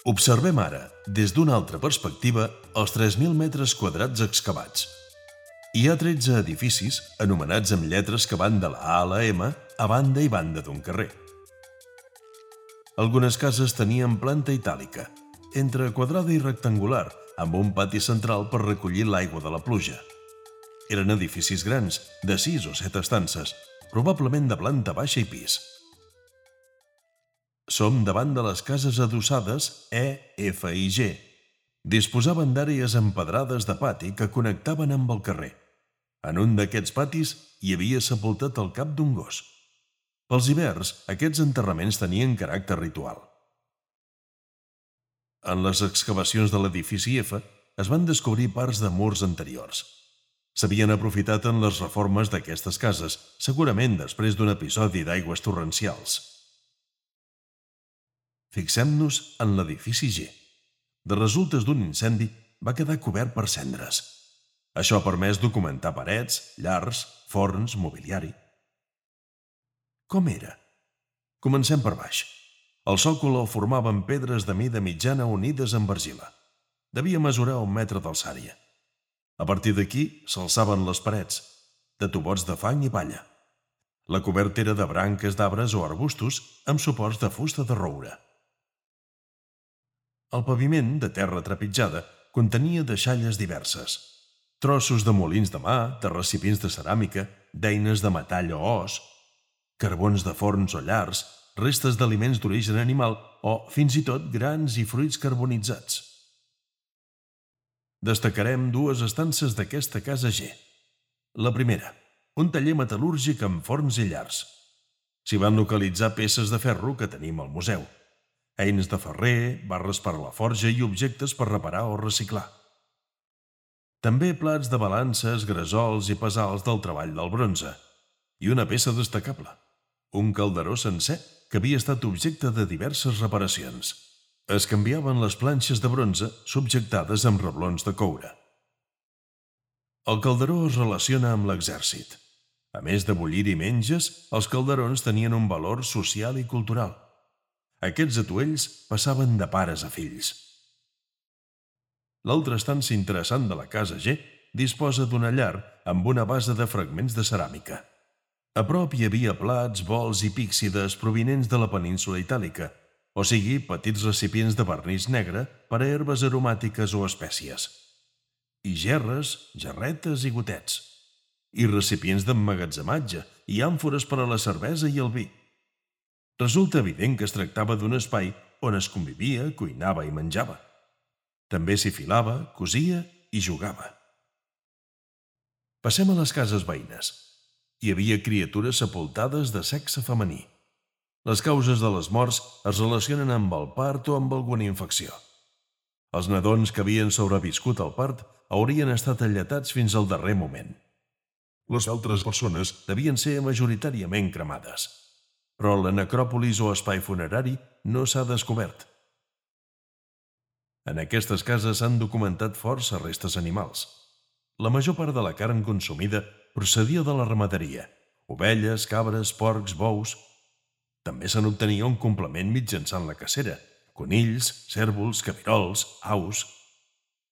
Observem ara, des d'una altra perspectiva, els 3.000 metres quadrats excavats. Hi ha 13 edificis anomenats amb lletres que van de la A a la M a banda i banda d'un carrer. Algunes cases tenien planta itàlica, entre quadrada i rectangular, amb un pati central per recollir l'aigua de la pluja. Eren edificis grans, de 6 o 7 estances, probablement de planta baixa i pis. Som davant de les cases adossades E, F i G. Disposaven d'àrees empedrades de pati que connectaven amb el carrer. En un d'aquests patis hi havia sepultat el cap d'un gos. Pels hiverns, aquests enterraments tenien caràcter ritual. En les excavacions de l'edifici F es van descobrir parts de murs anteriors. S'havien aprofitat en les reformes d'aquestes cases, segurament després d'un episodi d'aigües torrencials. Fixem-nos en l'edifici G. De resultes d'un incendi, va quedar cobert per cendres. Això ha permès documentar parets, llars, forns, mobiliari. Com era? Comencem per baix. El sòcol el formaven pedres de mida mitjana unides amb argila. Devia mesurar 1 metre d'alçària. A partir d'aquí s'alçaven les parets, de tubots de fang i palla. La coberta era de branques d'arbres o arbustos amb suports de fusta de roure. El paviment, de terra trepitjada, contenia deixalles diverses. Trossos de molins de mà, de recipients de ceràmica, d'eines de metall o os, carbons de forns o llars, restes d'aliments d'origen animal o, fins i tot, grans i fruits carbonitzats. Destacarem 2 estances d'aquesta casa G. La primera, un taller metal·lúrgic amb forns i llars. S'hi van localitzar peces de ferro que tenim al museu. Eines de ferrer, barres per a la forja i objectes per reparar o reciclar. També plats de balances, gresols i pesals del treball del bronze. I una peça destacable, un calderó sencer que havia estat objecte de diverses reparacions. Es canviaven les planxes de bronze subjectades amb reblons de coure. El calderó es relaciona amb l'exèrcit. A més de bullir-hi menges, els calderons tenien un valor social i cultural. Aquests atuells passaven de pares a fills. L'altra estança interessant de la casa G disposa d'una llar amb una base de fragments de ceràmica. A prop hi havia plats, bols i píxides provinents de la península itàlica, o sigui, petits recipients de vernís negre per a herbes aromàtiques o espècies. I gerres, jarretes i gotets. I recipients d'emmagatzematge i àmfores per a la cervesa i el vi. Resulta evident que es tractava d'un espai on es convivia, cuinava i menjava. També s'hi filava, cosia i jugava. Passem a les cases veïnes. Hi havia criatures sepultades de sexe femení. Les causes de les morts es relacionen amb el part o amb alguna infecció. Els nadons que havien sobreviscut al part haurien estat alletats fins al darrer moment. Les altres persones devien ser majoritàriament cremades. Però la necròpolis o espai funerari no s'ha descobert. En aquestes cases s'han documentat força restes animals. La major part de la carn consumida procedia de la ramaderia: ovelles, cabres, porcs, bous. També se n'obtenia un complement mitjançant la cacera: conills, cérvols, cabirols, aus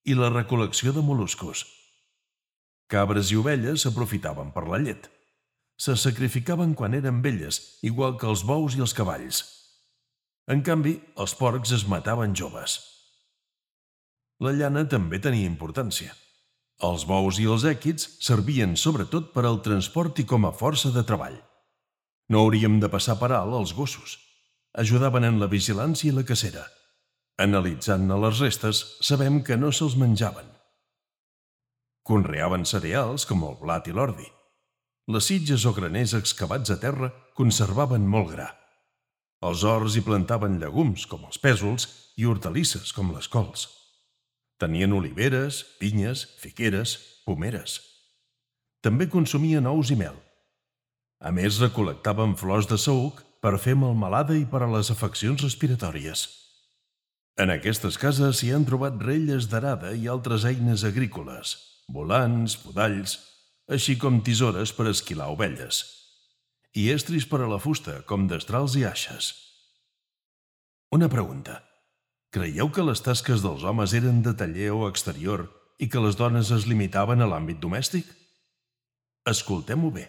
i la recol·lecció de mol·luscos. Cabres i ovelles s'aprofitaven per la llet. Se sacrificaven quan eren velles, igual que els bous i els cavalls. En canvi, els porcs es mataven joves. La llana també tenia importància. Els bous i els èquids servien sobretot per al transport i com a força de treball. No hauríem de passar per alt els gossos. Ajudaven en la vigilància i la cacera. Analitzant-ne les restes, sabem que no se'ls menjaven. Conreaven cereals com el blat i l'ordi. Les sitges o graners excavats a terra conservaven molt gra. Els horts hi plantaven llegums, com els pèsols, i hortalisses, com les cols. Tenien oliveres, pinyes, figueres, pomeres. També consumien ous i mel. A més, recol·lectaven flors de saüc per fer melmelada i per a les afeccions respiratòries. En aquestes cases s'hi han trobat relles d'arada i altres eines agrícoles, volants, podalls, així com tisores per esquilar ovelles, i estris per a la fusta, com destrals i aixes. Una pregunta. Creieu que les tasques dels homes eren de taller o exterior i que les dones es limitaven a l'àmbit domèstic? Escoltem-ho bé.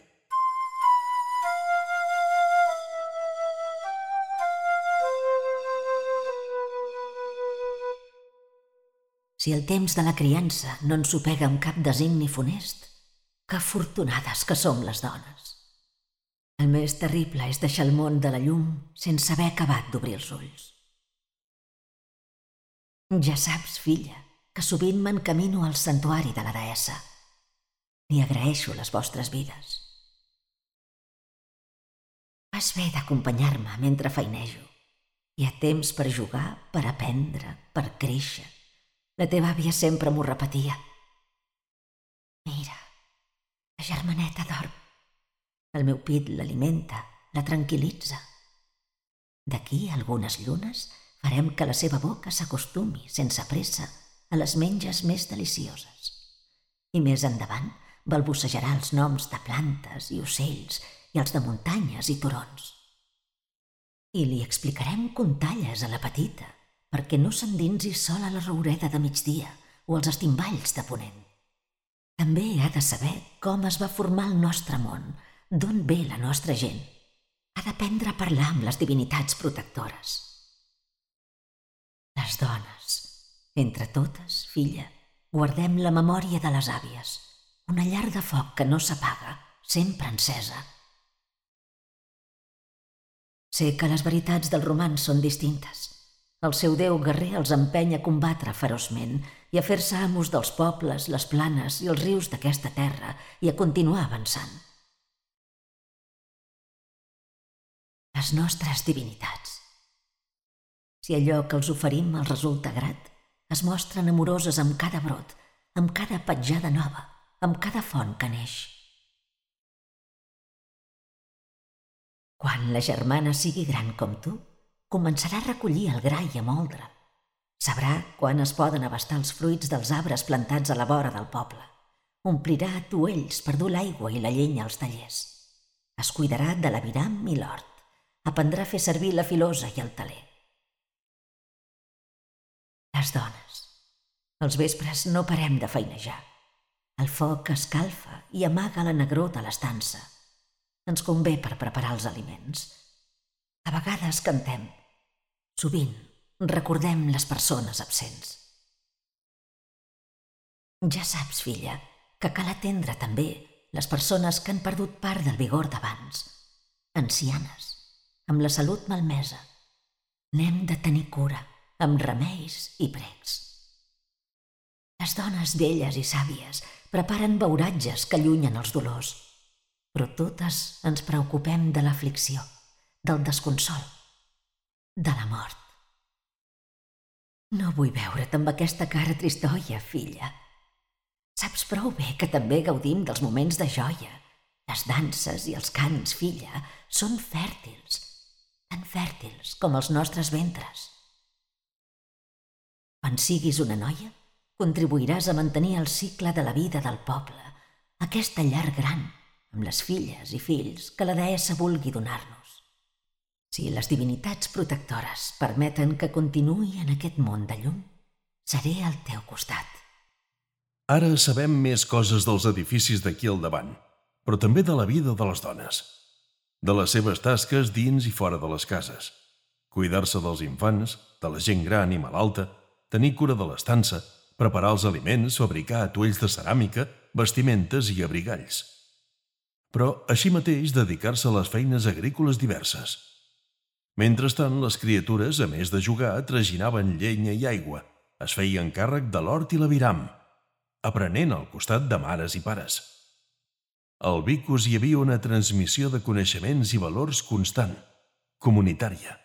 Si el temps de la criança no ens sopega amb cap designi funest, que afortunades que som les dones. El més terrible és deixar el món de la llum sense haver acabat d'obrir els ulls. Ja saps, filla, que sovint m'encamino al santuari de la deessa. Li agraeixo les vostres vides. Fas bé d'acompanyar-me mentre feinejo. Hi ha temps per jugar, per aprendre, per créixer. La teva àvia sempre m'ho repetia. Mira, la germaneta dorm. El meu pit l'alimenta, la tranquil·litza. D'aquí a algunes llunes farem que la seva boca s'acostumi, sense pressa, a les menges més delicioses. I més endavant balbucejarà els noms de plantes i ocells i els de muntanyes i turons. I li explicarem contalles a la petita, perquè no s'endinsi sola a la roureda de migdia o als estimballs de ponent. També ha de saber com es va formar el nostre món, d'on ve la nostra gent. Ha d'aprendre a parlar amb les divinitats protectores. Les dones, entre totes, filla, guardem la memòria de les àvies, una llar de foc que no s'apaga, sempre encesa. Sé que les veritats dels romans són distintes. El seu déu guerrer els empeny a combatre feroçment i a fer-se amos dels pobles, les planes i els rius d'aquesta terra i a continuar avançant. Les nostres divinitats. Si allò que els oferim els resulta grat, es mostren amoroses amb cada brot, amb cada petjada nova, amb cada font que neix. Quan la germana sigui gran com tu, començarà a recollir el gra i a moldre. Sabrà quan es poden abastar els fruits dels arbres plantats a la vora del poble. Omplirà atuells per dur l'aigua i la llenya als tallers. Es cuidarà de l'aviram i l'hort. Aprendrà a fer servir la filosa i el teler. Les dones. Els vespres no parem de feinejar. El foc escalfa i amaga la negror de l'estança. Ens convé per preparar els aliments. A vegades cantem. Sovint recordem les persones absents. Ja saps, filla, que cal atendre també les persones que han perdut part del vigor d'abans. Ancianes, amb la salut malmesa. N'hem de tenir cura, amb remeis i precs. Les dones velles i sàvies preparen beuratges que allunyen els dolors, però totes ens preocupem de l'aflicció, del desconsol, de la mort. No vull veure't amb aquesta cara tristoia, filla. Saps prou bé que també gaudim dels moments de joia. Les danses i els cants, filla, són fèrtils, tan fèrtils com els nostres ventres. Quan siguis una noia, contribuiràs a mantenir el cicle de la vida del poble, aquesta llar gran, amb les filles i fills que la deessa vulgui donar-nos. Si les divinitats protectores permeten que continuï en aquest món de llum, seré al teu costat. Ara sabem més coses dels edificis d'aquí al davant, però també de la vida de les dones, de les seves tasques dins i fora de les cases, cuidar-se dels infants, de la gent gran i malalta, tenir cura de l'estança, preparar els aliments, fabricar atuells de ceràmica, vestimentes i abrigalls. Però, així mateix, dedicar-se a les feines agrícoles diverses. Mentrestant, les criatures, a més de jugar, traginaven llenya i aigua, es feien càrrec de l'hort i l'aviram, aprenent al costat de mares i pares. Al Vicus hi havia una transmissió de coneixements i valors constant, comunitària.